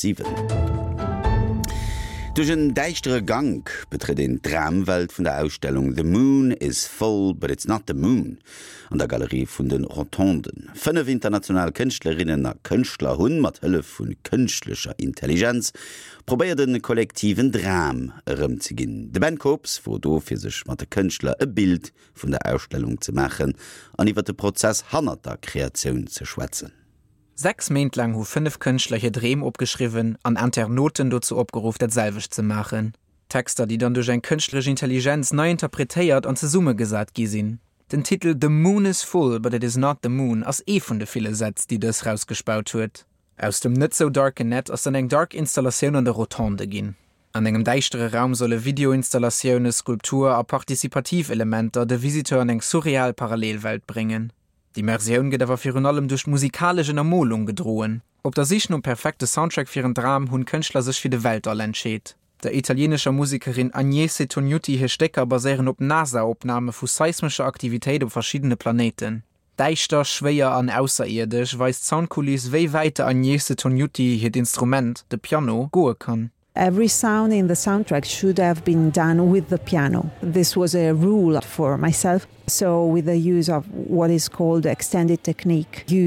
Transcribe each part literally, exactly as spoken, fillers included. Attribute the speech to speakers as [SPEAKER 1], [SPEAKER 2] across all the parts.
[SPEAKER 1] Siwen. Duerch en däischtere Gank betrëtt een d'Dramwelt vun der Ausstellung The Moon is full, but it's not the moon an der Galerie vun de Rotonden. Fënnef international Kënschtlerinnen a Kënschtler hunn mat Hëllef vu kënschtlecher Intelligenz probéiert e kollektiven Dram erëmzeginn. De Ben Koops wor do fir sech mat de Kënschtler e Bild vun der Ausstellung ze maachen an iwwer de Prozess hannert der Kreatioun ze schwätzen.
[SPEAKER 2] Sechs Méint laang hu fënnef Kënschtler hir Dreem opgeschriwwen an Internauten dozou opgeruff dat selwecht ze maachen. Texter, déi dann duerch eng kënschtlech Intelligenz nei interpretéiert an zesummegesat gi sinn. Den Titel The Moon is full, but it is not the moon ass ee vun de ville Sätz, déi dës rausgespaut huet. Aus dem net sou darken Net ass dann eng dark Installatioun an de Rotonde ginn. An engem däischtere Raum solle Videoinstallatioune, Skulptur a participativ Elementer de Visiteur an eng surreal Parallelwelt bréngen. D'Immersioun gëtt awer virun allem duerch musikalesch Ënnermolung gedroen. Op der Sich nom perfekte Soundtrack fir en Dram hunn Kënschtler sech fir de Weltall entscheet. Der italienescher Musekerin Agnese Toniutti hir Stécker baséieren op NASA-Opname vu seismescher Aktivitéit op verschiddene Planéiten. Däischter, schwéier an ausserierdesch weist d'Soundkuliss wéi wäit der Agnese Toniutti hiert Instrument, de Piano, goe kann.
[SPEAKER 3] Every sound in the soundtrack should have been done with the piano. This was a rule for myself. So with the use of what is called extended technique, you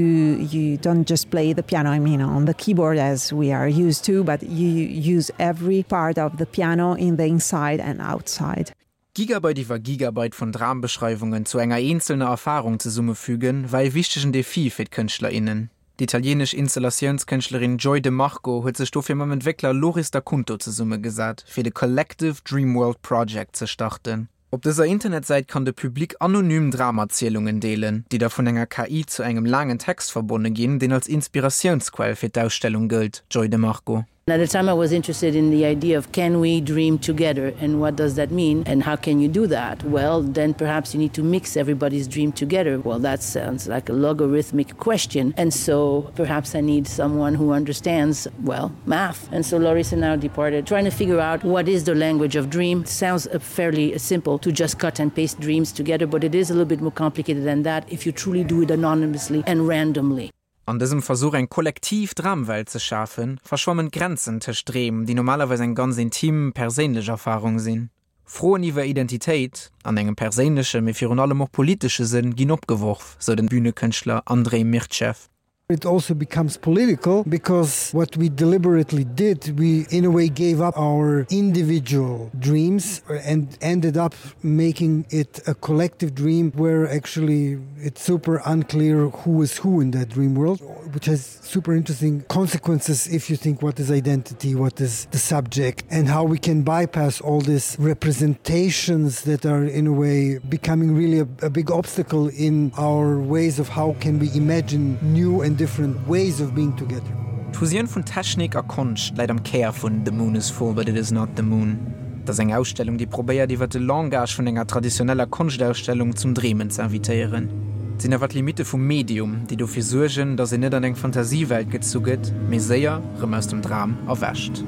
[SPEAKER 3] you don't just play the piano, I mean on the keyboard as we are used to, but you use every part of the piano in the inside and outside.
[SPEAKER 2] Gigabyte iwwer Gigabyte vun Drambeschreiwungen zu enger eenzelner Erfarung zesummefügen, war e wichtegen Defi fir d'Kënschtler, innen. D'italienesch Installatiounskënschtlerin Joy DeMarco huet sech dofir mam Entwéckler Loris D'Acunto zesummegesat, fir de Collective Dreamworld Project ze starten. Op dëser Internetsäit kann de Public anonym Dramerzielungen deelen, déi da vun enger KI zu engem laangen Text verbonne ginn, deen als Inspiratiounsquell fir d'Ausstellung gëllt, Joy DeMarco.
[SPEAKER 4] At the time I was interested in the idea of can we dream together and what does that mean and how can you do that? Well, then perhaps you need to mix everybody's dream together. Well, that sounds like a logarithmic question. And so perhaps I need someone who understands, well, math. And so Loris and I departed trying to figure out what is the language of dream. It sounds uh, fairly simple to just cut and paste dreams together, but it is a little bit more complicated than that if you truly do it anonymously and randomly.
[SPEAKER 2] An dësem Versuch eng kollektiv Dramwelt ze schafen, verschwammen d'Grenzen tëscht Dreem, déi normalerweis eng ganz intim perséinlech Erfarung sinn. Froen iwwer Identitéit an engem perséinleche mee virun allem och politesche Sënn ginn opgeworf, sou de Bünekënschtler André Mirtchev.
[SPEAKER 5] It also becomes political because what we deliberately did, we in a way gave up our individual dreams and ended up making it a collective dream where actually it's super unclear who is who in that dream world, which has super interesting consequences if you think what is identity, what is the subject, and how we can bypass all these representations that are in a way becoming really a, a big obstacle in our ways of how can we imagine new and different ways of being together.
[SPEAKER 2] D'Fusioun vun Technik a Konscht läit am Kär vun The Moon is full, but it is not the moon. Dat ass eng Ausstellung, déi probéiert iwwer de Langage vun enger traditioneller Konschtausstellung zum Dreemen ze invitéieren. Et sinn awer d'Limitte vum Medium, déi dofir suergen, datt een net an eng Fantasiewelt gezu gëtt, mee séier rëm aus dem Dram erwächt.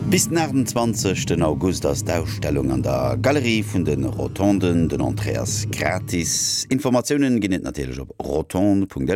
[SPEAKER 1] Bis den aachtanzwanzegsten August ass d'Ausstellung an der Galerie vun de Rotonden. Den Entrée ass gratis. Informatioune ginn et natierlech op rotonde Punkt